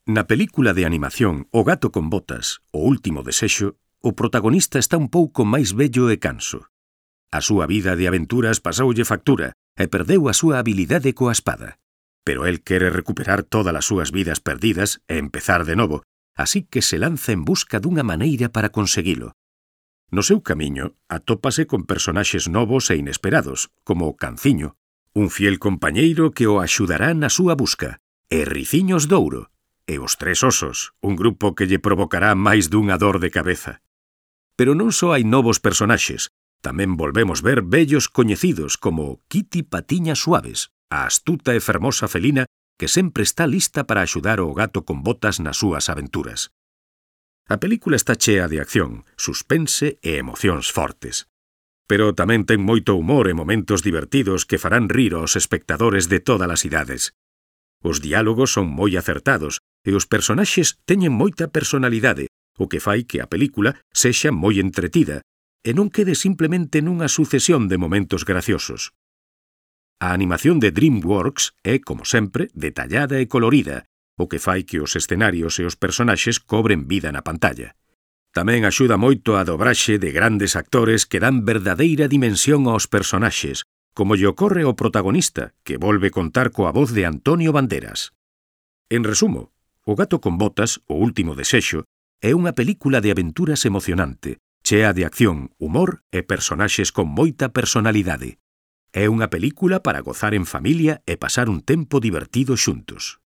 Na película de animación O gato con botas, O último desexo, o protagonista está un pouco máis vello e canso. A súa vida de aventuras pasoulle factura e perdeu a súa habilidade coa espada. Pero el quere recuperar todas as súas vidas perdidas e empezar de novo, así que se lanza en busca dunha maneira para conseguilo. No seu camiño, atópase con personaxes novos e inesperados, como o Canciño, un fiel compañeiro que o axudará na súa busca, e Riciños Douro, e os Tres Osos, un grupo que lle provocará máis dunha dor de cabeza. Pero non só hai novos personaxes, tamén volvemos ver vellos coñecidos como Kitty Patiñas Suaves, a astuta e fermosa felina que sempre está lista para axudar o gato con botas nas súas aventuras. A película está chea de acción, suspense e emocións fortes. Pero tamén ten moito humor e momentos divertidos que farán rir aos espectadores de todas as idades. Os diálogos son moi acertados e os personaxes teñen moita personalidade, o que fai que a película sexa moi entretida e non quede simplemente nunha sucesión de momentos graciosos. A animación de DreamWorks é, como sempre, detallada e colorida, o que fai que os escenarios e os personaxes cobren vida na pantalla. Tamén axuda moito a dobraxe de grandes actores que dan verdadeira dimensión aos personaxes, como lle ocorre ao protagonista, que volve contar coa voz de Antonio Banderas. En resumo, O gato con botas, O último desexo, é unha película de aventuras emocionante, chea de acción, humor e personaxes con moita personalidade. É unha película para gozar en familia e pasar un tempo divertido xuntos.